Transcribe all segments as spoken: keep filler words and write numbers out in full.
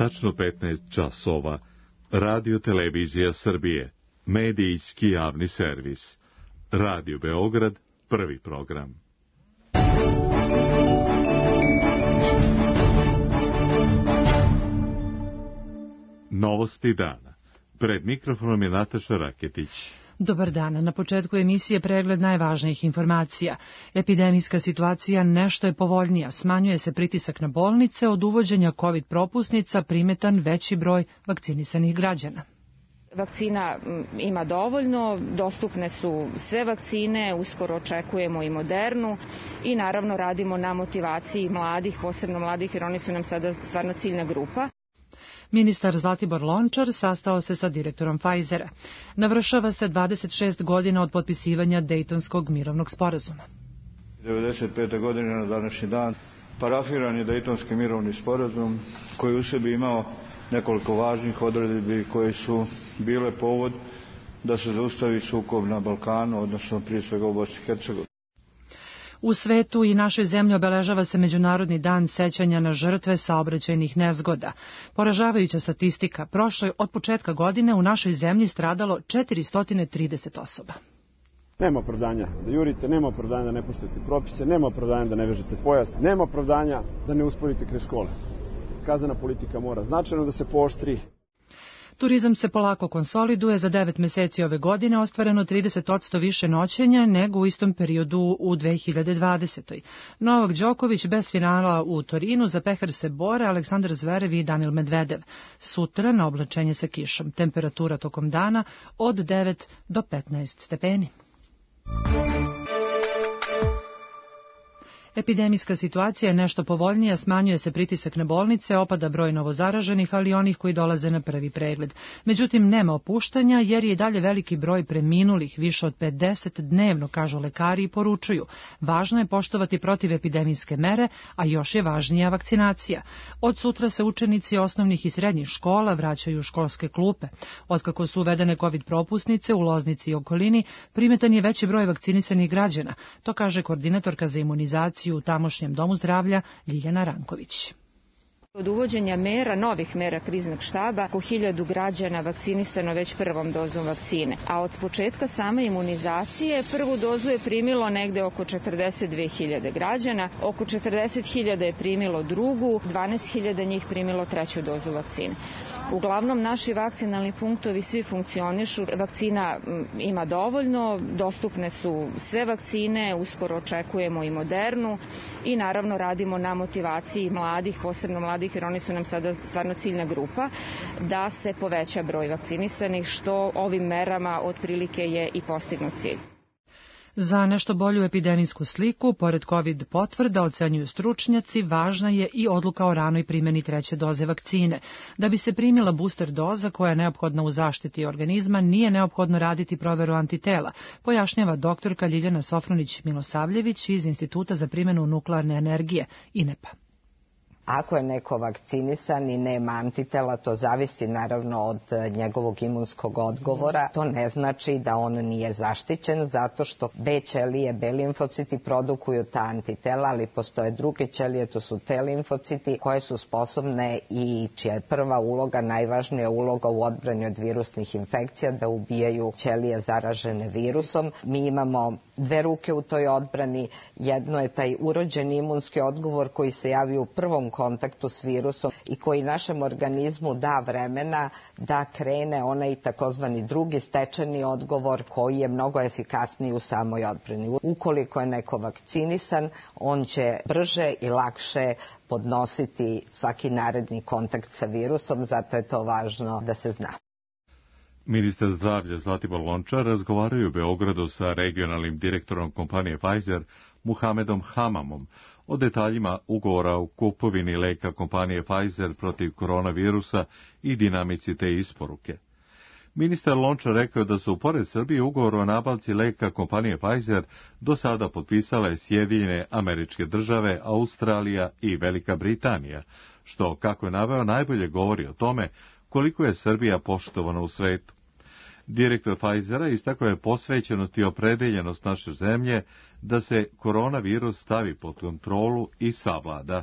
tačno petnaest časova, Radio Televizija Srbije, medijski javni servis. Radio Beograd, prvi program. Novosti dana. Pred mikrofonom je Nataša Raketić. Dobar dan. Na početku emisije pregled najvažnijih informacija. Epidemijska situacija nešto je povoljnija. Smanjuje se pritisak na bolnice, od uvođenja COVID propusnica primetan veći broj vakcinisanih građana. Vakcina ima dovoljno, dostupne su sve vakcine, uskoro očekujemo i Modernu i naravno radimo na motivaciji mladih, posebno mladih, jer oni su nam sada stvarno ciljna grupa. Ministar Zlatibor Lončar sastao se sa direktorom Pfizera. Navršava se dvadeset šest godina od potpisivanja Dejtonskog mirovnog sporazuma. devedeset pete godine na današnji dan parafiran je Dejtonski mirovni sporazum koji u sebi imao nekoliko važnih odredbi koje su bile povod da se zaustavi sukob na Balkanu, odnosno prije svega u Bosni i Hercegovini. U svetu i našoj zemlji obeležava se Međunarodni dan sećanja na žrtve saobraćajnih nezgoda. Poražavajuća statistika, prošle od početka godine u našoj zemlji stradalo četiristo trideset osoba. Nema opravdanja da jurite, nema opravdanja da ne poštujete propise, nema opravdanja da ne vežete pojas, nema opravdanja da ne usporite kraj škole. Kaznena politika mora značajno da se pooštri. Turizam se polako konsoliduje, za devet meseci ove godine ostvareno trideset posto više noćenja nego u istom periodu u dve hiljade dvadesetoj. Novak Đoković bez finala u Torinu, za pehar se bore Aleksandar Zverev i Danil Medvedev. Sutra na oblačenje sa kišom. Temperatura tokom dana od devet do petnaest stepeni. Epidemijska situacija je nešto povoljnija, smanjuje se pritisak na bolnice, opada broj novozaraženih, ali i onih koji dolaze na prvi pregled. Međutim, nema opuštanja jer je i dalje veliki broj preminulih, više od pedeset dnevno, kažu lekari i poručuju. Važno je poštovati protivepidemijske mere, a još je važnija vakcinacija. Od sutra se učenici osnovnih i srednjih škola vraćaju u školske klupe. Otkako su uvedene COVID propusnice u Loznici i okolini, primetan je veći broj vakcinisanih građana. To kaže koordinatorka za imunizaciju u tamošnjem domu zdravlja Ljiljana Ranković. Od uvođenja mera, novih mera kriznog štaba, oko hiljadu građana vakcinisano već prvom dozom vakcine. A od početka same imunizacije prvu dozu je primilo negde oko četrdeset dve hiljade građana, oko četrdeset hiljada je primilo drugu, dvanaest hiljada njih primilo treću dozu vakcine. Uglavnom, naši vakcinalni punktovi svi funkcionišu, vakcina ima dovoljno, dostupne su sve vakcine, uskoro očekujemo i Modernu i naravno radimo na motivaciji mladih, posebno mladih, jer oni su nam sada stvarno ciljna grupa, da se poveća broj vakcinisanih, što ovim merama otprilike je i postignut cilj. Za nešto bolju epidemijsku sliku, pored COVID potvrda, ocenjuju stručnjaci, važna je i odluka o ranoj primjeni treće doze vakcine. Da bi se primila booster doza koja je neophodna u zaštiti organizma, nije neophodno raditi proveru antitela, pojašnjava doktorka Ljiljana Sofronić-Milosavljević iz Instituta za primjenu nuklearne energije, I N E P a. Ako je neko vakcinisan i nema antitela, to zavisi naravno od njegovog imunskog odgovora. To ne znači da on nije zaštićen, zato što B ćelije, B limfociti produkuju ta antitela, ali postoje druge ćelije, to su T limfociti, koje su sposobne i čija je prva uloga, najvažnija uloga u odbrani od virusnih infekcija, da ubijaju ćelije zaražene virusom. Mi imamo dve ruke u toj odbrani. Jedno je taj urođeni imunski odgovor koji se javi u prvom kontaktu s virusom i koji našem organizmu da vremena da krene onaj takozvani drugi stečeni odgovor koji je mnogo efikasniji u samoj odbrani. Ukoliko je neko vakcinisan, on će brže i lakše podnositi svaki naredni kontakt sa virusom, zato je to važno da se zna. Ministar zdravlja Zlatibor Lončar razgovaraju u Beogradu sa regionalnim direktorom kompanije Pfizer, Muhamedom Hamamom, o detaljima ugovora o kupovini leka kompanije Pfizer protiv koronavirusa i dinamici te isporuke. Ministar Lončar rekao da su pored Srbije ugovor o nabavci leka kompanije Pfizer do sada potpisale Sjedinjene Američke Države, Australija i Velika Britanija, što, kako je naveo, najbolje govori o tome koliko je Srbija poštovana u svetu. Direktor Pfizera istakao je posvećenost i opredeljenost naše zemlje da se koronavirus stavi pod kontrolu i savlada.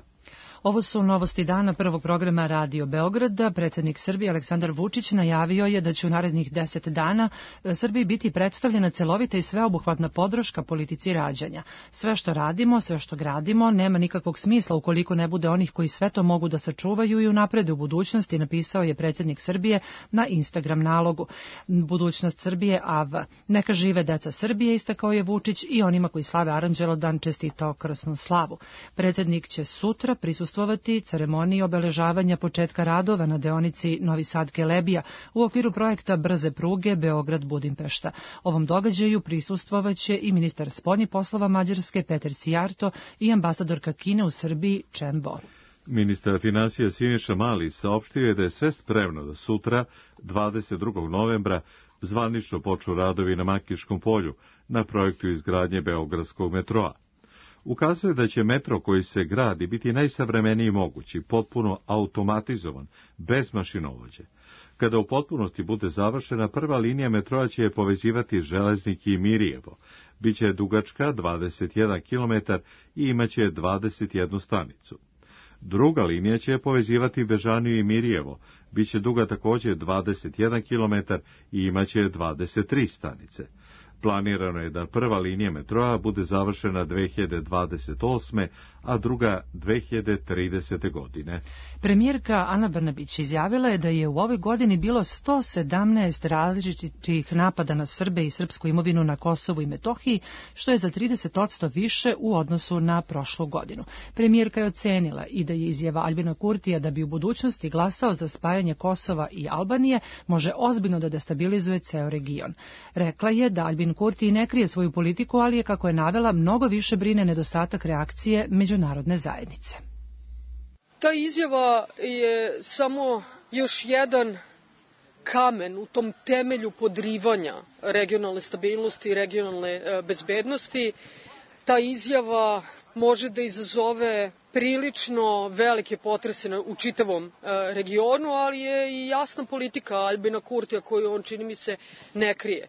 Ovo su novosti dana prvog programa Radio Beograda. Predsjednik Srbije Aleksandar Vučić najavio je da će u narednih deset dana Srbiji biti predstavljena celovita i sveobuhvatna podrška politici rađanja. Sve što radimo, sve što gradimo, nema nikakvog smisla ukoliko ne bude onih koji sve to mogu da sačuvaju i unaprede u budućnosti, napisao je predsjednik Srbije na Instagram nalogu. Budućnost Srbije A V. Neka žive deca Srbije, istakao je Vučić, i onima koji slave Aranđelodan čestitao krsnu slavu. Predsjednik će sutra prisustvovati ceremoniji obeležavanja početka radova na deonici Novi Sad-Kelebija u okviru projekta brze pruge Beograd-Budimpešta. Ovom događaju prisustvovaće i ministar spoljnih poslova Mađarske Peter Sijarto i ambasadorka Kine u Srbiji Chen Bo. Ministar finansija Siniša Mali saopštio je da je sve spremno da sutra, dvadeset drugog novembra, zvanično počnu radovi na Makiškom polju na projektu izgradnje Beogradskog metroa. Ukazuje da će metro koji se gradi biti najsavremeniji mogući, potpuno automatizovan, bez mašinovođe. Kada u potpunosti bude završena, prva linija metroa će je povezivati Železnik i Mirijevo. Biće dugačka dvadeset jedan kilometar i imaće dvadeset jednu stanicu. Druga linija će povezivati Bežaniju i Mirijevo, biće duga također dvadeset jedan kilometar i imaće dvadeset tri stanice. Planirano je da prva linija metroa bude završena dve hiljade dvadeset osme, a druga dve hiljade tridesete. godine. Premijerka Ana Brnabić izjavila je da je u ovoj godini bilo sto sedamnaest različitih napada na Srbe i srpsku imovinu na Kosovu i Metohiji, što je za trideset posto više u odnosu na prošlu godinu. Premijerka je ocenila i da je izjava Aljbina Kurtija da bi u budućnosti glasao za spajanje Kosova i Albanije može ozbiljno da destabilizuje ceo region. Rekla je da Aljbin Kurti ne krije svoju politiku, ali je, kako je navela, mnogo više brine nedostatak reakcije međunarodne zajednice. Ta izjava je samo još jedan kamen u tom temelju podrivanja regionalne stabilnosti i regionalne bezbednosti. Ta izjava može da izazove prilično velike potrese u čitavom regionu, ali je i jasna politika Aljbina Kurtija koju on, čini mi se, ne krije.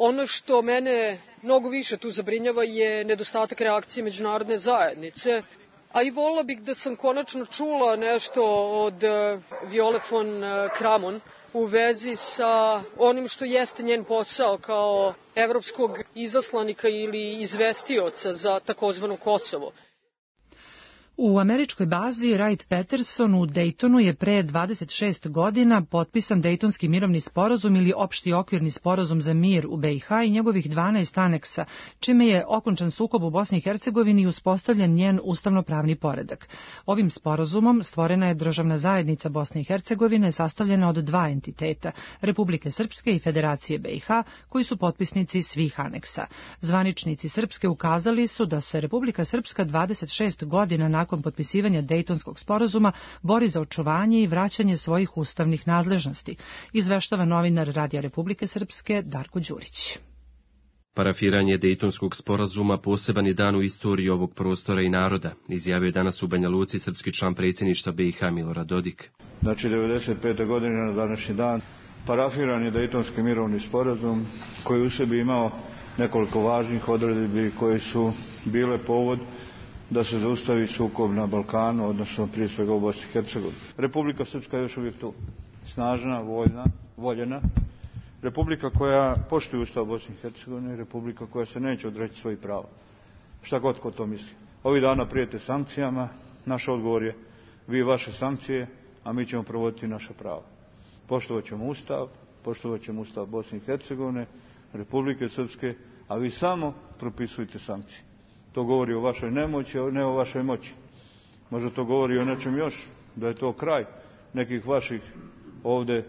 Ono što mene mnogo više tu zabrinjava je nedostatak reakcije međunarodne zajednice, a i voljela bih da sam konačno čula nešto od Viole von Kramon u vezi sa onim što jeste njen posao kao evropskog izaslanika ili izvestioca za takozvano Kosovo. U američkoj bazi Wright-Patterson u Daytonu je pre dvadeset šest godina potpisan Dejtonski mirovni sporazum ili opšti okvirni sporazum za mir u B i H i njegovih dvanaest aneksa, čime je okončan sukob u Bosni i Hercegovini i uspostavljen njen ustavno-pravni poredak. Ovim sporazumom stvorena je državna zajednica Bosne i Hercegovine sastavljena od dva entiteta, Republike Srpske i Federacije B i H, koji su potpisnici svih aneksa. Zvaničnici Srpske ukazali su da se Republika Srpska dvadeset šest godina nakon nakon potpisivanja Dejtonskog sporazuma bori za očuvanje i vraćanje svojih ustavnih nadležnosti, izveštava novinar Radija Republike Srpske Darko Đurić. Parafiranje Dejtonskog sporazuma poseban je dan u istoriji ovog prostora i naroda, izjavio je danas u Banja Luci srpski član predsjedništva B i H Milorad Dodik. Znači, devedeset pete. godine na današnji dan parafiran je Dejtonski mirovni sporazum koji u sebi imao nekoliko važnih odredbi koje su bile povod da se zaustavi sukob na Balkanu, odnosno prije svega u Bosni i Hercegovini. Republika Srpska je još uvijek tu, snažna, voljna, voljena. Republika koja poštuje Ustav Bosne i Hercegovine, republika koja se neće odreći svojih prava. Šta god ko to misli. Ovih dana prijete sankcijama, naš odgovor je vi vaše sankcije, a mi ćemo provoditi naša prava. Poštovat ćemo Ustav, poštovat ćemo Ustav Bosne i Hercegovine, Republike Srpske, a vi samo propisujte sankcije. To govori o vašoj nemoći, a ne o vašoj moći. Možda to govori o nečem još, da je to kraj nekih vaših ovde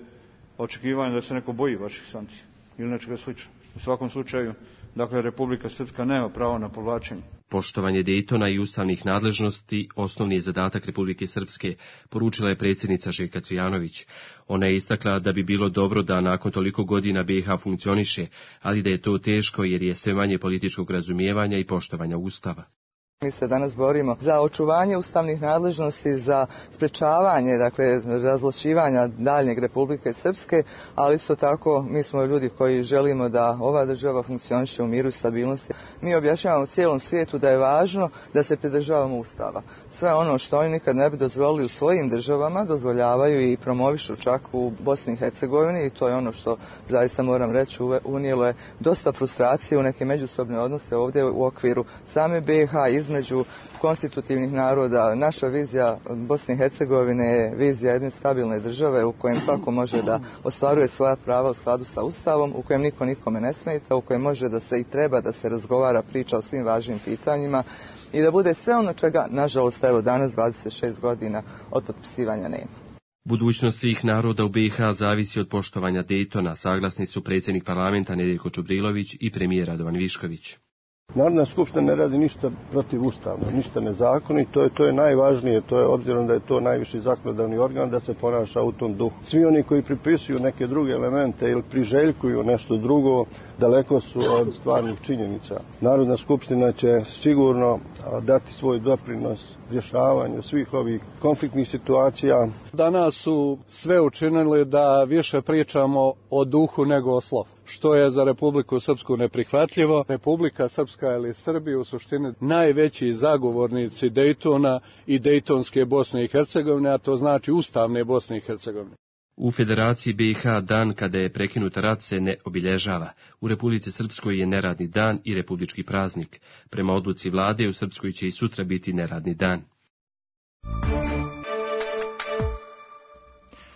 očekivanja da se neko boji vaših sankcija ili nečega slično. U svakom slučaju, dakle, Republika Srpska nema pravo na povlačenje. Poštovanje Dejtona i ustavnih nadležnosti osnovni je zadatak Republike Srpske, poručila je predsjednica Željka Cvijanović. Ona je istakla da bi bilo dobro da nakon toliko godina B i H funkcioniše, ali da je to teško jer je sve manje političkog razumijevanja i poštovanja Ustava. Mi se danas borimo za očuvanje ustavnih nadležnosti, za sprečavanje, dakle, razvlašćivanja daljnjeg Republike Srpske, ali isto tako mi smo ljudi koji želimo da ova država funkcioniše u miru i stabilnosti. Mi objašnjavamo cijelom svijetu da je važno da se pridržavamo Ustava. Sve ono što oni nikad ne bi dozvolili u svojim državama, dozvoljavaju i promovišu čak u Bosni i Hercegovini, i to je ono što zaista moram reći, unijelo je dosta frustracije u neke međusobne odnose ovdje u okviru same B i H, između konstitutivnih naroda. Naša vizija Bosne i Hercegovine je vizija jedne stabilne države u kojem svako može da ostvaruje svoja prava u skladu sa Ustavom, u kojem niko nikome ne smeta, u kojem može da se i treba da se razgovara, priča o svim važnim pitanjima i da bude sve ono čega, nažalost, evo danas dvadeset šest godina od potpisivanja nema. Budućnost svih naroda u B i H zavisi od poštovanja Dejtona, saglasni su predsjednik parlamenta Nedeljko Čubrilović i premijer Radovan Višković. Narodna skupština ne radi ništa protivustavno, ništa nezakonito, to je, to je najvažnije, to je obzirom da je to najviši zakonodavni organ, da se ponaša u tom duhu. Svi oni koji pripisuju neke druge elemente ili priželjkuju nešto drugo, daleko su od stvarnih činjenica. Narodna skupština će sigurno dati svoj doprinos rješavanju svih ovih konfliktnih situacija. Danas su sve učinili da više pričamo o duhu nego o slovu, što je za Republiku Srpsku neprihvatljivo. Republika Srpska ili Srbija u suštini najveći zagovornici Dejtona i Dejtonske Bosne i Hercegovine, a to znači ustavne Bosne i Hercegovine. U Federaciji B i H dan kada je prekinut rat se ne obilježava. U Republici Srpskoj je neradni dan i republički praznik. Prema odluci vlade u Srpskoj će i sutra biti neradni dan.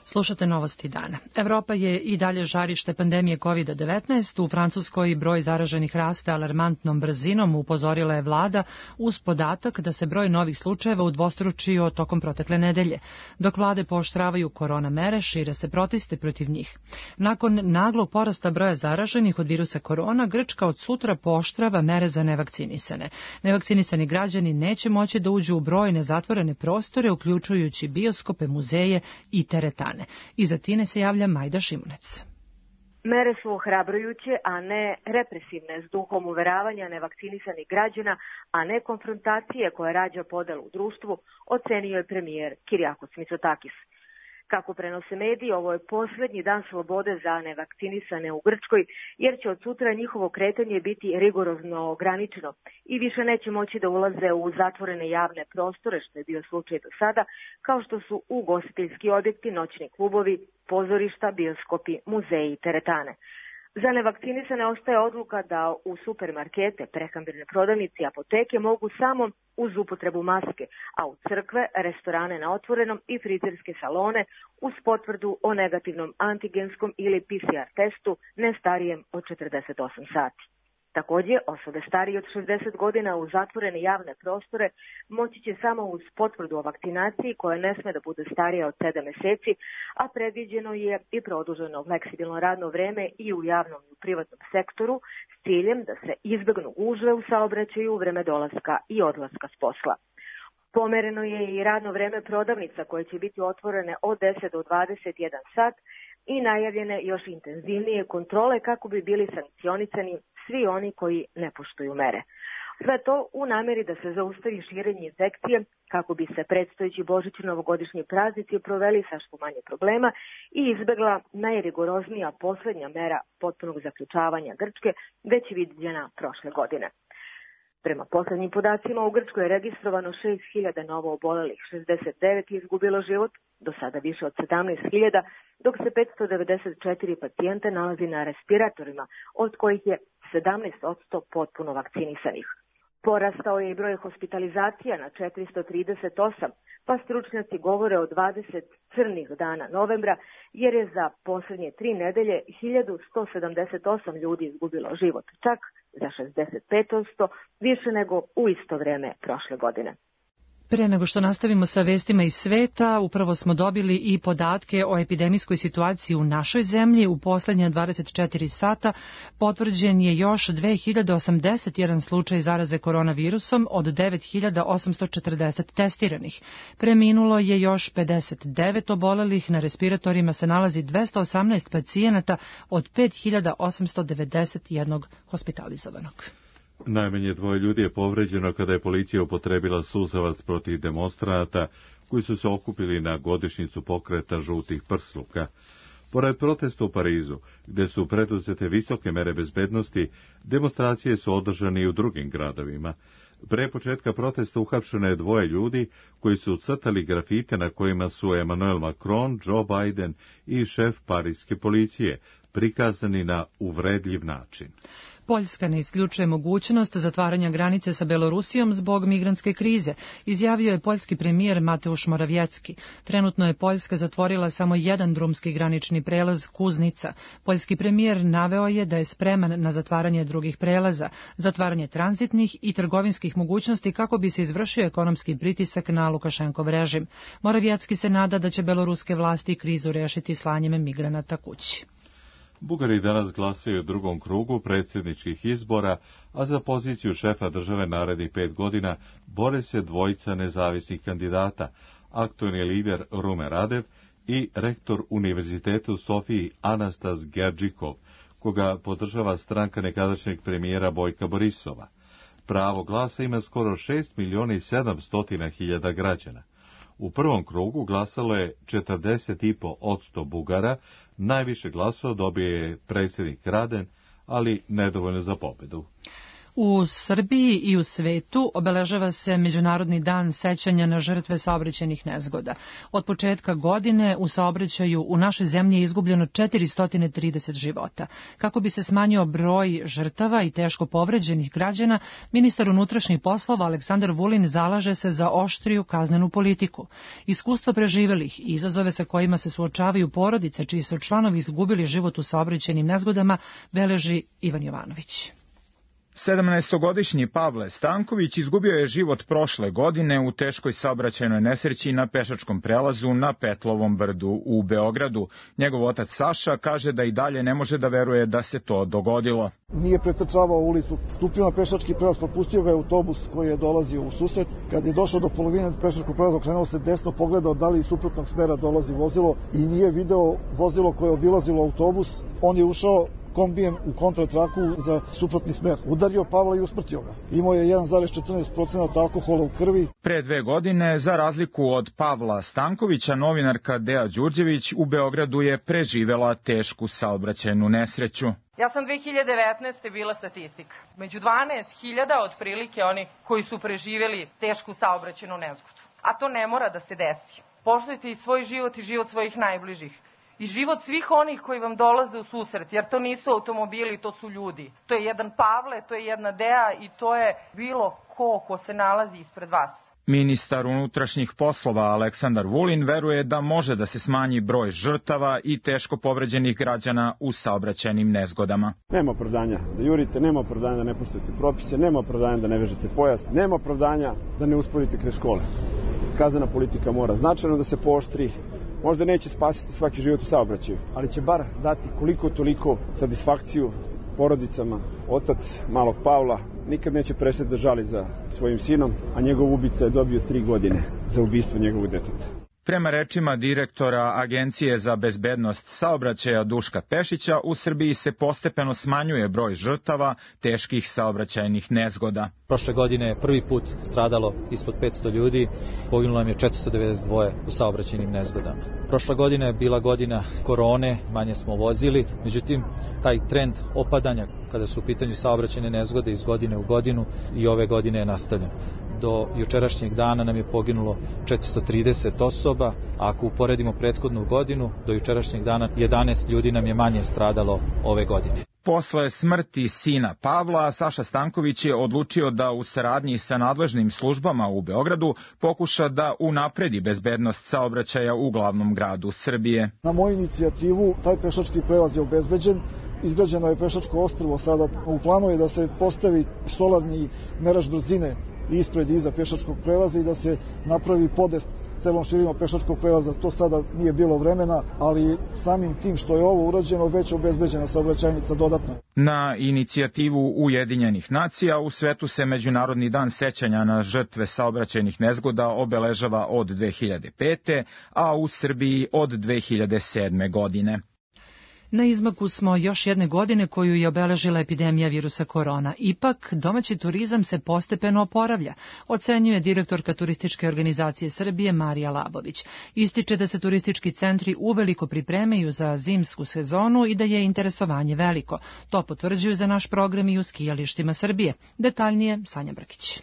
Slušate novosti dana. Evropa je i dalje žarište pandemije kovid devetnaest. U Francuskoj broj zaraženih raste alarmantnom brzinom, upozorila je vlada, uz podatak da se broj novih slučajeva udvostručio tokom protekle nedelje. Dok vlade pooštravaju korona mere, šire se proteste protiv njih. Nakon naglog porasta broja zaraženih od virusa korona, Grčka od sutra pooštrava mere za nevakcinisane. Nevakcinisani građani neće moći da uđu u brojne zatvorene prostore, uključujući bioskope, muzeje i teretane. Iz Atine se javlja Majda Šimunec. Mere su ohrabrujuće, a ne represivne, s duhom uveravanja nevakcinisanih građana, a ne konfrontacije koja rađa podelu u društvu, ocenio je premijer Kyriakos Mitsotakis. Kako prenose mediji, ovo je posljednji dan slobode za nevakcinisane u Grčkoj, jer će od sutra njihovo kretanje biti rigorozno ograničeno i više neće moći da ulaze u zatvorene javne prostore, što je bio slučaj do sada, kao što su ugostiteljski objekti, noćni klubovi, pozorišta, bioskopi, muzeji i teretane. Za nevakcinisane ostaje odluka da u supermarkete, prehrambene prodavnice i apoteke mogu samo uz upotrebu maske, a u crkve, restorane na otvorenom i frizerske salone uz potvrdu o negativnom antigenskom ili P C R testu ne starijem od četrdeset osam sati. Također, osobe starije od šezdeset godina u zatvorene javne prostore moći će samo uz potvrdu o vakcinaciji koja ne sme da bude starija od sedam mjeseci, a predviđeno je i produženo fleksibilno radno vreme i u javnom i u privatnom sektoru s ciljem da se izbjegnu gužve u saobraćaju u vreme dolaska i odlaska s posla. Pomereno je i radno vreme prodavnica koje će biti otvorene od deset do dvadeset jedan sat i najavljene još intenzivnije kontrole kako bi bili sankcionisani svi oni koji ne poštuju mere. Sve to u namjeri da se zaustavi širenje infekcije kako bi se predstojeći božićni novogodišnji praznici proveli sa što manje problema i izbjegla najrigoroznija posljednja mera potpunog zaključavanja Grčke, već viđena prošle godine. Prema posljednjim podacima u Grčkoj je registrovano šest hiljada novo obolelih, šezdeset devet je izgubilo život, do sada više od sedamnaest hiljada, dok se petsto devedeset četiri pacijenta nalazi na respiratorima, od kojih je sedamnaest posto potpuno vakcinisanih. Porastao je i broj hospitalizacija na četiristo trideset osam, pa stručnjaci govore o dvadeset crnih dana novembra, jer je za posljednje tri nedelje hiljadu sto sedamdeset osam ljudi izgubilo život, čak za šezdeset pet posto više nego u isto vrijeme prošle godine. Pre nego što nastavimo sa vestima iz sveta, upravo smo dobili i podatke o epidemijskoj situaciji u našoj zemlji. U posljednje dvadeset četiri sata potvrđen je još dve hiljade osamdeset jedan slučaj zaraze koronavirusom od devet hiljada osamsto četrdeset testiranih. Preminulo je još pedeset devet obolelih, na respiratorima se nalazi dvesta osamnaest pacijenata od pet hiljada osamsto devedeset jedan hospitalizovanog. Najmanje dvoje ljudi je povređeno kada je policija upotrebila suzavac protiv demonstranata koji su se okupili na godišnjicu pokreta žutih prsluka. Pored protesta u Parizu, gde su preduzete visoke mere bezbednosti, demonstracije su održane i u drugim gradovima. Pre početka protesta uhapšeno je dvoje ljudi koji su ucrtali grafite na kojima su Emmanuel Macron, Joe Biden i šef parijske policije, prikazani na uvredljiv način. Poljska ne isključuje mogućnost zatvaranja granice sa Belorusijom zbog migrantske krize, izjavio je poljski premijer Mateusz Morawiecki. Trenutno je Poljska zatvorila samo jedan drumski granični prelaz Kuznica. Poljski premijer naveo je da je spreman na zatvaranje drugih prelaza, zatvaranje tranzitnih i trgovinskih mogućnosti kako bi se izvršio ekonomski pritisak na Lukašenkov režim. Morawiecki se nada da će beloruske vlasti krizu rešiti slanjem migranata kući. Bugari danas glasaju u drugom krugu predsjedničkih izbora, a za poziciju šefa države narednih pet godina bore se dvojica nezavisnih kandidata, aktuelni lider Rumen Radev i rektor Univerziteta u Sofiji Anastas Gerđikov, koga podržava stranka nekadašnjeg premijera Bojka Borisova. Pravo glasa ima skoro šest miliona i sedamsto hiljada građana. U prvom krugu glasalo je četrdeset i pet posto Bugara, najviše glasova dobio je predsjednik Raden, ali nedovoljno za pobedu. U Srbiji i u svetu obeležava se Međunarodni dan sećanja na žrtve saobraćajnih nezgoda. Od početka godine u saobraćaju u našoj zemlji je izgubljeno četiristo trideset života. Kako bi se smanjio broj žrtava i teško povređenih građana, ministar unutrašnjih poslova Aleksandar Vulin zalaže se za oštriju kaznenu politiku. Iskustva preživelih i izazove sa kojima se suočavaju porodice čiji su članovi izgubili život u saobraćajnim nezgodama beleži Ivan Jovanović. sedamnaestogodišnji Pavle Stanković izgubio je život prošle godine u teškoj saobraćajnoj nesreći na pešačkom prelazu na Petlovom brdu u Beogradu. Njegov otac Saša kaže da i dalje ne može da veruje da se to dogodilo. Nije pretrčavao ulicu, stupio na pešački prelaz, propustio ga je autobus koji je dolazio u susret. Kad je došao do polovine pešačkog prelaza, okrenuo se desno, pogledao da li iz suprotnog smera dolazi vozilo i nije video vozilo koje je obilazilo autobus. On je ušao kombijem u kontratraku za suprotni smer. Udario Pavla i usmrtio ga. Imao je jedan zarez četrnaest procenata alkohola u krvi. Pre dve godine, za razliku od Pavla Stankovića, novinarka Dea Đurđević u Beogradu je preživela tešku saobraćajnu nesreću. Ja sam dve hiljade devetnaeste. bila statistika. Među dvanaest hiljada otprilike oni koji su preživjeli tešku saobraćajnu nezgodu. A to ne mora da se desi. Poštujte i svoj život i život svojih najbližih. I život svih onih koji vam dolaze u susret, jer to nisu automobili, to su ljudi. To je jedan Pavle, to je jedna Dea i to je bilo ko ko se nalazi ispred vas. Ministar unutrašnjih poslova Aleksandar Vulin veruje da može da se smanji broj žrtava i teško povređenih građana u saobraćajnim nezgodama. Nema opravdanja da jurite, nema opravdanja da ne poštujete propise, nema opravdanja da ne vežete pojas, nema opravdanja da ne usporite kraj škole. Kaznena politika mora značajno da se pooštri. Možda neće spasiti svaki život u saobraćaju, ali će bar dati koliko toliko satisfakciju porodicama. Otac malog Pavla nikad neće prestati da žali za svojim sinom, a njegov ubica je dobio tri godine za ubistvo njegovog deteta. Prema rečima direktora Agencije za bezbednost saobraćaja Duška Pešića, u Srbiji se postepeno smanjuje broj žrtava teških saobraćajnih nezgoda. Prošle godine je prvi put stradalo ispod petsto ljudi, poginulo nam je četiristo devedeset dva u saobraćajnim nezgodama. Prošla godina je bila godina korone, manje smo vozili, međutim taj trend opadanja kada su u pitanju saobraćajne nezgode iz godine u godinu i ove godine je nastavljen. Do jučerašnjeg dana nam je poginulo četiristo trideset osoba, a ako uporedimo prethodnu godinu, do jučerašnjeg dana jedanaest ljudi nam je manje stradalo ove godine. Posle smrti sina Pavla, Saša Stanković je odlučio da u saradnji sa nadležnim službama u Beogradu pokuša da unapredi bezbednost saobraćaja u glavnom gradu Srbije. Na moju inicijativu taj pešački prelaz je obezbeđen. Izgrađeno je pešačko ostrvo, sada u planu je da se postavi solarni merač brzine ispred i iza pešačkog prelaza i da se napravi podest celom širinom pešačkog prelaza. To sada nije bilo vremena, ali samim tim što je ovo urađeno, već obezbeđena saobraćajnica dodatno. Na inicijativu Ujedinjenih nacija u svetu se Međunarodni dan sećanja na žrtve saobraćajnih nezgoda obeležava od dve hiljade pete. a u Srbiji od dve hiljade sedme. godine. Na izmaku smo još jedne godine koju je obeležila epidemija virusa korona. Ipak, domaći turizam se postepeno oporavlja, ocenjuje direktorka Turističke organizacije Srbije Marija Labović. Ističe da se turistički centri uveliko pripremaju za zimsku sezonu i da je interesovanje veliko. To potvrđuju za naš program i u skijalištima Srbije. Detaljnije Sanja Brkić.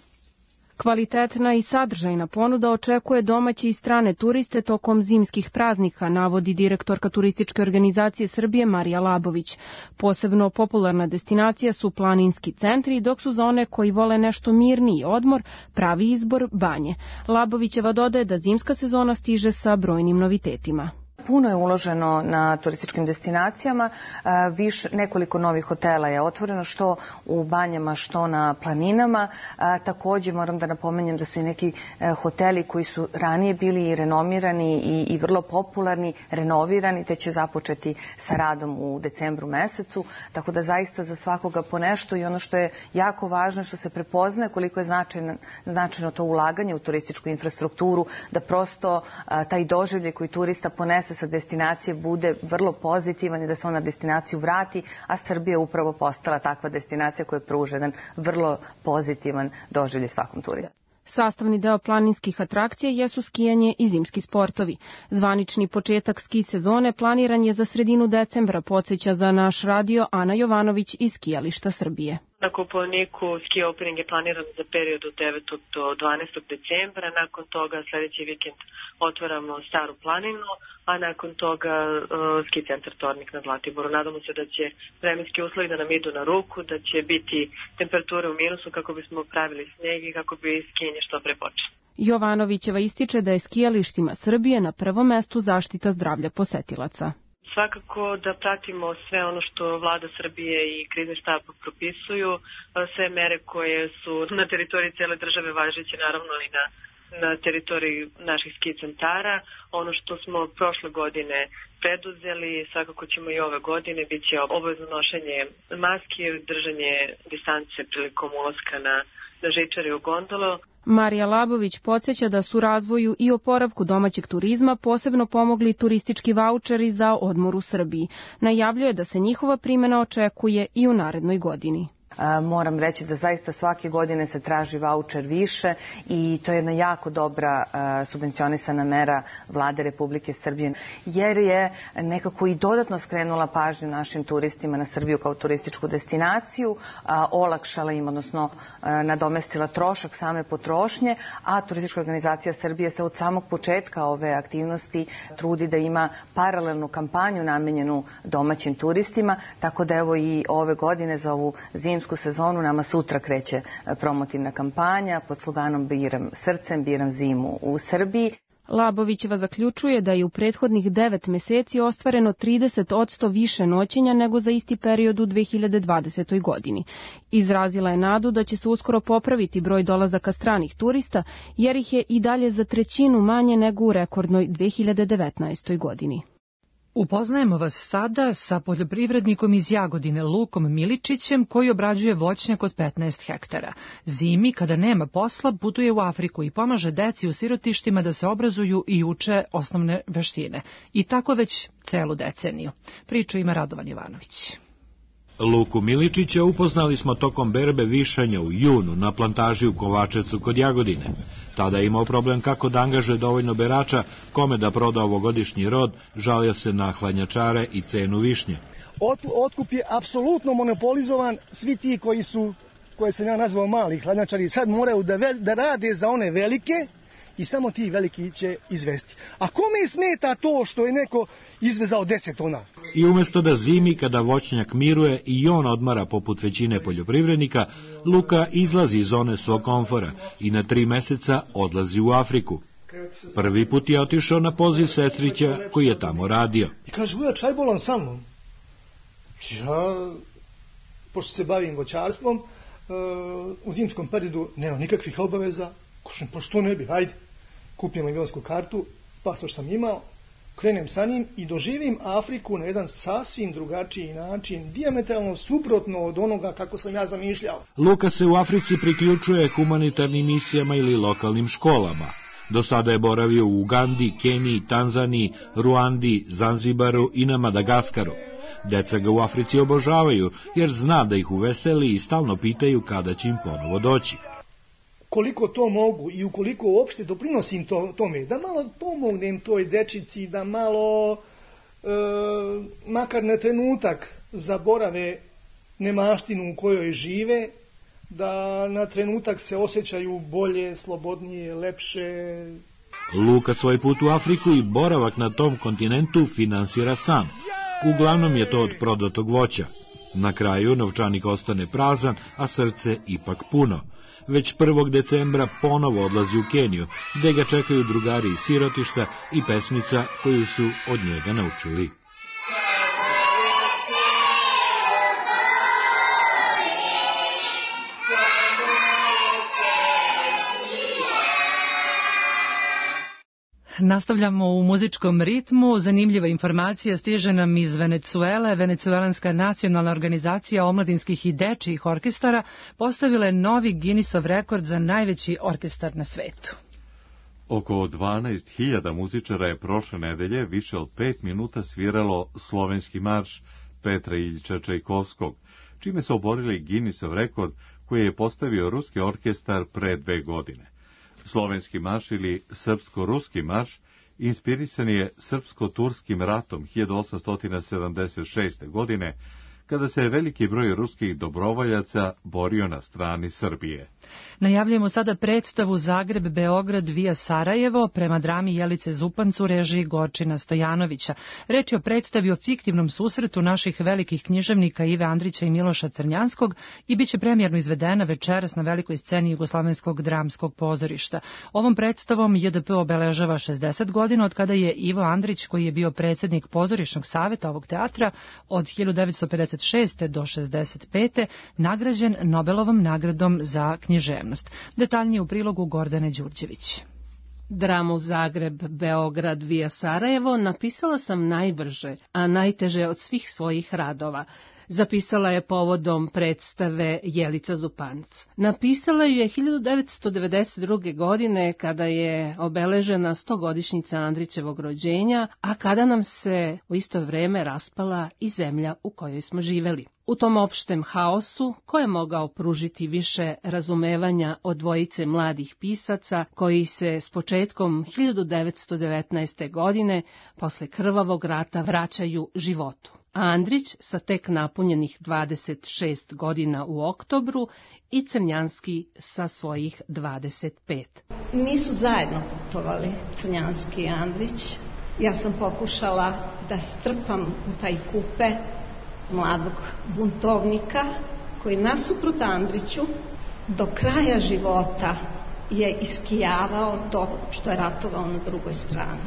Kvalitetna i sadržajna ponuda očekuje domaće i strane turiste tokom zimskih praznika, navodi direktorka Turističke organizacije Srbije Marija Labović. Posebno popularna destinacija su planinski centri, dok su za one koji vole nešto mirniji odmor pravi izbor banje. Labovićeva dodaje da zimska sezona stiže sa brojnim novitetima. Puno je uloženo na turističkim destinacijama, viš, nekoliko novih hotela je otvoreno, što u banjama, što na planinama. Također moram da napomenjem da su i neki hoteli koji su ranije bili renomirani i, i vrlo popularni, renovirani, te će započeti sa radom u decembru mesecu, tako da zaista za svakoga po nešto i ono što je jako važno, što se prepoznaje koliko je značajno, značajno to ulaganje u turističku infrastrukturu, da prosto taj doživljaj koji turista ponese sa destinacije bude vrlo pozitivan i da se on na destinaciju vrati, a Srbija je upravo postala takva destinacija koja pruža jedan vrlo pozitivan doživljaj svakom turistu. Sastavni deo planinskih atrakcija jesu skijanje i zimski sportovi. Zvanični početak ski sezone planiran je za sredinu decembra, podsjeća za naš radio Ana Jovanović iz skijališta Srbije. Na Kopaoniku ski opening je planiran za period od devetog do dvanaestog decembra. Nakon toga sljedeći vikend otvaramo Staru planinu, a nakon toga uh, ski centar Tornik na Zlatiboru. Nadamo se da će vremenski uslovi da nam idu na ruku, da će biti temperature u minusu kako bismo pravili sneg i kako bi skijanje što pre počelo. Jovanovićeva ističe da je skijalištima Srbije na prvom mestu zaštita zdravlja posetilaca. Svakako da pratimo sve ono što vlada Srbije i krizni štab propisuju, sve mere koje su na teritoriji cele države važeće, naravno i na, na teritoriji naših ski centara. Ono što smo prošle godine preduzeli, svakako ćemo i ove godine, bit će obavezno nošenje maske, držanje distance prilikom ulaska na, na žičare u gondolu. Marija Labović podsjeća da su razvoju i oporavku domaćeg turizma posebno pomogli turistički vaučeri za odmor u Srbiji. Najavljuje da se njihova primjena očekuje i u narednoj godini. Moram reći da zaista svake godine se traži vaučer više i to je jedna jako dobra subvencionisana mera vlade Republike Srbije, jer je nekako i dodatno skrenula pažnju našim turistima na Srbiju kao turističku destinaciju, olakšala im, odnosno nadomestila trošak same potrošnje, a Turistička organizacija Srbije se od samog početka ove aktivnosti trudi da ima paralelnu kampanju namenjenu domaćim turistima, tako da evo i ove godine za ovu zimsku sezonu nama sutra kreće promotivna kampanja pod sloganom Biram srcem, biram zimu u Srbiji. Labovićeva zaključuje da je u prethodnih devet meseci ostvareno trideset posto više noćenja nego za isti period u dve hiljade dvadesetoj. godini. Izrazila je nadu da će se uskoro popraviti broj dolazaka stranih turista, jer ih je i dalje za trećinu manje nego u rekordnoj dve hiljade devetnaestoj. godini. Upoznajemo vas sada sa poljoprivrednikom iz Jagodine, Lukom Miličićem, koji obrađuje voćnjak od petnaest hektara. Zimi, kada nema posla, putuje u Afriku i pomaže deci u sirotištima da se obrazuju i uče osnovne veštine. I tako već celu deceniju. Priču ima Radovan Jovanović. Luku Miličića upoznali smo tokom berbe višanja u junu na plantaži u Kovačevcu kod Jagodine. Tada je imao problem kako da angažuje dovoljno berača, kome da proda ovogodišnji rod, žalio se na hladnjačare i cenu višnje. Otkup je apsolutno monopolizovan, svi ti koji su, koje sam ja nazvao mali hladnjačari, sad moraju da, ve, da rade za one velike i samo ti veliki će izvesti. A kome smeta to što je neko izvezao deset tona? I umjesto da zimi, kada voćnjak miruje i on odmara poput većine poljoprivrednika, Luka izlazi iz zone svog komfora i na tri meseca odlazi u Afriku. Prvi put je otišao na poziv sestrića koji je tamo radio. I kaže, bude čaj bolan sa mnom. Ja, pošto se bavim voćarstvom, u zimskom periodu nema nikakvih obaveza. Kažem, pa što ne bi, hajde. Kupim avionsku kartu, pasoš sam imao, krenem sa njim i doživim Afriku na jedan sasvim drugačiji način, dijametralno suprotno od onoga kako sam ja zamišljao. Luka se u Africi priključuje humanitarnim misijama ili lokalnim školama. Do sada je boravio u Ugandi, Keniji, Tanzaniji, Ruandi, Zanzibaru i na Madagaskaru. Deca ga u Africi obožavaju, jer zna da ih uveseli i stalno pitaju kada će im ponovo doći. Koliko to mogu i ukoliko uopšte doprinosim to, tome, da malo pomognem toj dečici, da malo, e, makar na trenutak, zaborave nemaštinu u kojoj žive, da na trenutak se osjećaju bolje, slobodnije, lepše. Luka svoj put u Afriku i boravak na tom kontinentu finansira sam. Uglavnom je to od prodatog voća. Na kraju novčanik ostane prazan, a srce ipak puno. Već prvog decembra ponovo odlazi u Keniju, gde ga čekaju drugari iz sirotišta i pesmica koju su od njega naučili. Nastavljamo u muzičkom ritmu. Zanimljiva informacija stiže nam iz Venecuele. Venecuelanska nacionalna organizacija omladinskih i dečijih orkestara postavila je novi Guinnessov rekord za najveći orkestar na svetu. Oko dvanaest hiljada muzičara je prošle nedelje više od pet minuta sviralo slovenski marš Petra Iljiča Čajkovskog, čime su oborili Guinnessov rekord koji je postavio ruski orkestar pre dve godine. Slovenski marš ili srpsko-ruski marš inspirisan je srpsko-turskim ratom hiljadu osamsto sedamdeset šeste. godine, kada se veliki broj ruskih dobrovoljaca borio na strani Srbije. Najavljujemo sada predstavu Zagreb-Beograd via Sarajevo prema drami Jelice Zupanc u režiji Gorčina Stojanovića. Reč je o predstavi o fiktivnom susretu naših velikih književnika Ive Andrića i Miloša Crnjanskog i bit će premijerno izvedena večeras na velikoj sceni Jugoslovenskog dramskog pozorišta. Ovom predstavom J D P obeležava šezdeset godina od kada je Ivo Andrić, koji je bio predsjednik pozorišnog saveta ovog teatra od hiljadu devetsto pedeset šeste. do šezdeset pete. nagrađen Nobelovom nagradom za književnost. Detaljnije u prilogu Gordane Đurđević. Dramu Zagreb-Beograd via Sarajevo napisala sam najbrže, a najteže od svih svojih radova. Zapisala je povodom predstave Jelica Zupanc. Napisala ju je hiljadu devetsto devedeset druge. godine kada je obeležena stogodišnjica Andrićevog rođenja, a kada nam se u isto vrijeme raspala i zemlja u kojoj smo živeli. U tom opštem haosu, ko je mogao pružiti više razumevanja od dvojice mladih pisaca koji se s početkom hiljadu devetsto devetnaeste. godine posle krvavog rata vraćaju životu. Andrić sa tek napunjenih dvadeset šest godina u oktobru i Crnjanski sa svojih dvadeset pet. Nisu zajedno putovali Crnjanski i Andrić. Ja sam pokušala da strpam u taj kupe mladog buntovnika koji nasuprot Andriću do kraja života je iskijavao to što je ratovao na drugoj strani.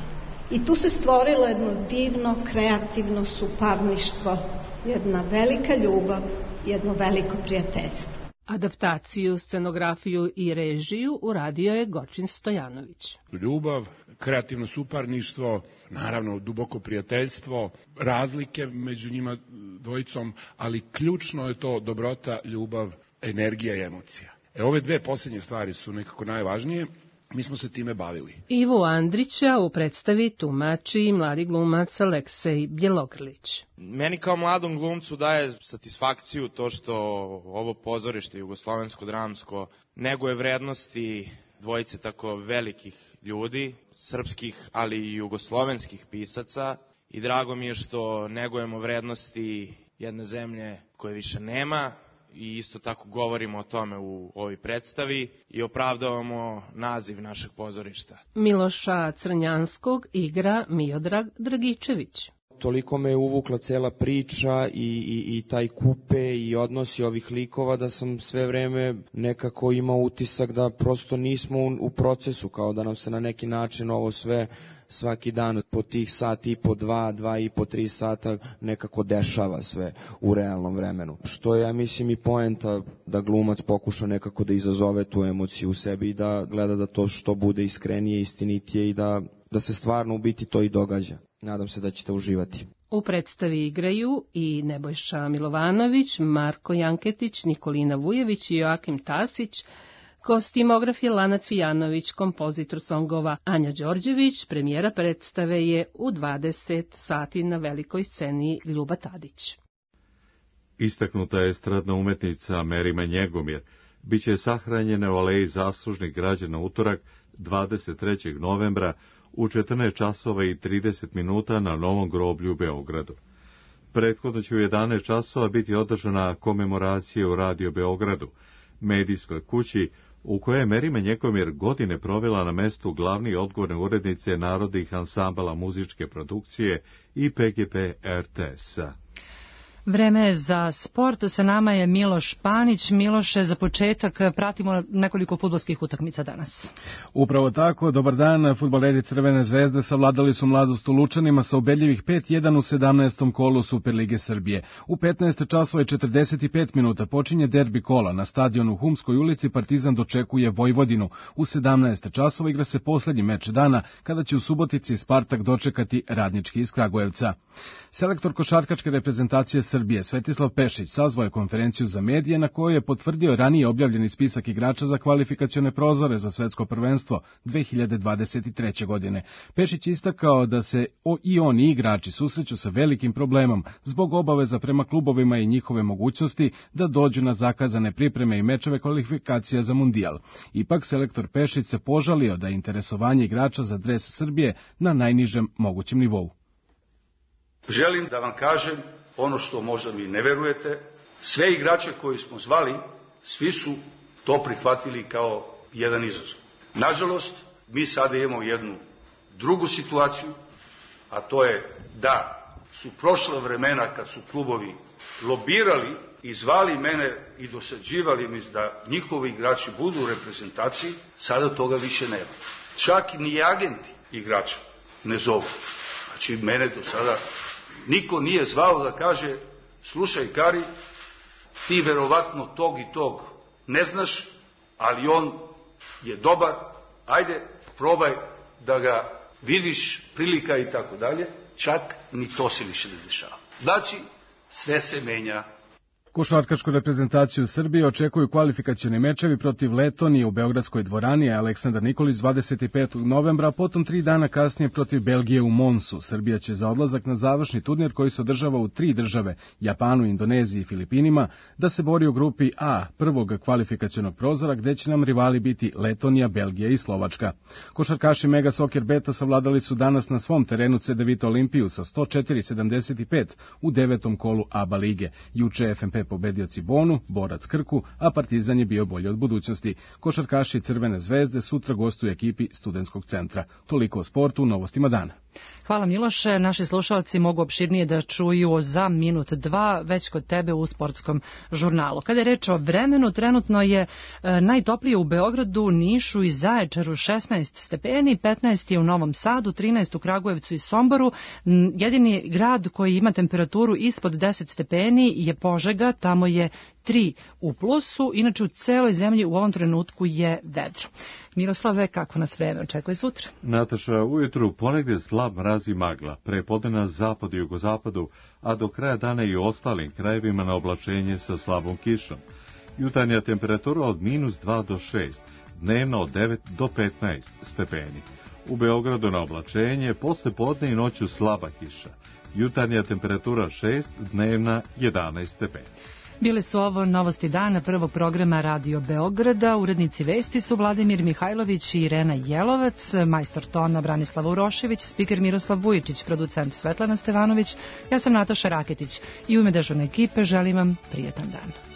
I tu se stvorilo jedno divno, kreativno suparništvo, jedna velika ljubav, jedno veliko prijateljstvo. Adaptaciju, scenografiju i režiju uradio je Gorčin Stojanović. Ljubav, kreativno suparništvo, naravno duboko prijateljstvo, razlike među njima dvojicom, ali ključno je to dobrota, ljubav, energija i emocija. E, ove dve posljednje stvari su nekako najvažnije. Mi smo se time bavili. Ivu Andrića u predstavi tumači mladi glumac Aleksej Bjelogrlić. Meni kao mladom glumcu daje satisfakciju to što ovo pozorište jugoslovensko dramsko neguje vrednosti dvojice tako velikih ljudi, srpskih ali i jugoslovenskih pisaca, i drago mi je što negujemo vrednosti jedne zemlje koje više nema. I isto tako govorimo o tome u ovoj predstavi i opravdavamo naziv našeg pozorišta. Miloša Crnjanskog igra Miodrag Dragičević. Toliko me je uvukla cela priča i, i, i taj kupe i odnosi ovih likova da sam sve vreme nekako imao utisak da prosto nismo u, u procesu, kao da nam se na neki način ovo sve svaki dan po tih sat i po dva, dva i po tri sata nekako dešava sve u realnom vremenu. Što je, ja mislim, i poenta da glumac pokuša nekako da izazove tu emociju u sebi i da gleda da to što bude iskrenije, istinitije i da, da se stvarno u biti to i događa. Nadam se da ćete uživati. U predstavi igraju i Nebojša Milovanović, Marko Janketić, Nikolina Vujević i Joakim Tasić, Kostimograf je Lana Cvijanović, kompozitor songova Anja Đorđević, premijera predstave je u dvadeset sati na velikoj sceni Ljuba Tadić. Istaknuta je estradna umetnica Merima Njegomir. Biće sahranjene u aleji zaslužnih građana utorak dvadeset trećeg novembra u četrnaest časova i trideset minuta na Novom groblju u Beogradu. Prethodno će u jedanaest časova biti održana komemoracija u Radio Beogradu, medijskoj kući u kojoj je Merima Njegomir godine provela na mestu glavne i odgovorne urednice narodnih ansambala muzičke produkcije i P G P R T S-a. Vreme za sport, sa nama je Miloš Panić. Miloše, za početak pratimo nekoliko fudbalskih utakmica danas. Upravo tako, dobar dan. Fudbaleri Crvene zvezde savladali su Mladost u Lučanima sa ubedljivih pet jedan u sedamnaestom kolu Superlige Srbije. U petnaest časova i četrdeset pet minuta počinje derbi kola. Na stadionu u Humskoj ulici Partizan dočekuje Vojvodinu. U sedamnaest časova igra se poslednji meč dana, kada će u Subotici Spartak dočekati Radnički iz Kragujevca. Selektor košarkaške reprezentacije Srbije Svetislav Pešić sazvao je konferenciju za medije na kojoj je potvrdio ranije objavljeni spisak igrača za kvalifikacione prozore za svetsko prvenstvo dve hiljade dvadeset treće. godine. Pešić je istakao da se i oni igrači susreću sa velikim problemom zbog obaveza prema klubovima i njihove mogućnosti da dođu na zakazane pripreme i mečeve kvalifikacija za mundijal. Ipak selektor Pešić se požalio da je interesovanje igrača za dres Srbije na najnižem mogućem nivou. Želim da vam kažem ono što možda mi ne verujete, sve igrače koji smo zvali, svi su to prihvatili kao jedan izazov. Nažalost, mi sada imamo jednu drugu situaciju, a to je da su prošla vremena kad su klubovi lobirali i zvali mene i dosađivali mi da njihovi igrači budu u reprezentaciji, sada toga više nema. Čak ni agenti igrača ne zovu. Znači, mene do sada niko nije zvao da kaže, slušaj Kari, ti verovatno tog i tog ne znaš, ali on je dobar, ajde, probaj da ga vidiš, prilika i tako dalje, čak ni to se više ne dešava. Znači, sve se menja. Košarkašku reprezentaciju Srbije očekuju kvalifikacioni mečevi protiv Letonije u Beogradskoj dvorani, a Aleksandar Nikolić dvadeset petog novembra, a potom tri dana kasnije protiv Belgije u Monsu. Srbija će za odlazak na završni turnir koji se održava u tri države, Japanu, Indoneziji i Filipinima, da se bori u grupi A prvog kvalifikacionog prozora, gde će nam rivali biti Letonija, Belgija i Slovačka. Košarkaši Mega Soccer Beta savladali su danas na svom terenu C D Vita Olimpiju sa sto četiri sedamdeset pet u devetom kolu A B A lige. Juče F M P pobedio Cibonu, Borac Krku, a Partizan je bio bolji od budućnosti. Košarkaši Crvene zvezde sutra gostuju ekipi Studentskog centra. Toliko o sportu u novostima dana. Hvala Miloše, naši slušalci mogu opširnije da čuju za minut dva već kod tebe u sportskom žurnalu. Kada je reč o vremenu, trenutno je e, najtoplije u Beogradu, Nišu i Zaječaru šesnaest stepeni, petnaest je u Novom Sadu, trinaest u Kragujevcu i Somboru. Jedini grad koji ima temperaturu ispod deset stepeni je Požega, tamo je tri u plusu, inače u celoj zemlji u ovom trenutku je vedro. Miroslave, kako nas vreme očekuje sutra? Nataša, ujutru ponegdje slab mraz i magla, prepodne na zapadu i jugozapadu, a do kraja dana i u ostalim krajevima na oblačenje sa slabom kišom. Jutarnja temperatura od minus dva do šest, dnevno od devet do petnaest stepeni. U Beogradu na oblačenje, posle podne i noću slaba kiša. Jutarnja temperatura šest, dnevna jedanaest stepeni. Bile su ovo novosti dana prvog programa Radio Beograda. Urednici vesti su Vladimir Mihajlović i Irena Jelovac, majstor tona Branislav Urošević, spiker Miroslav Vujičić, producent Svetlana Stevanović. Ja sam Nataša Raketić i u ime dežurne ekipe želim vam prijetan dan.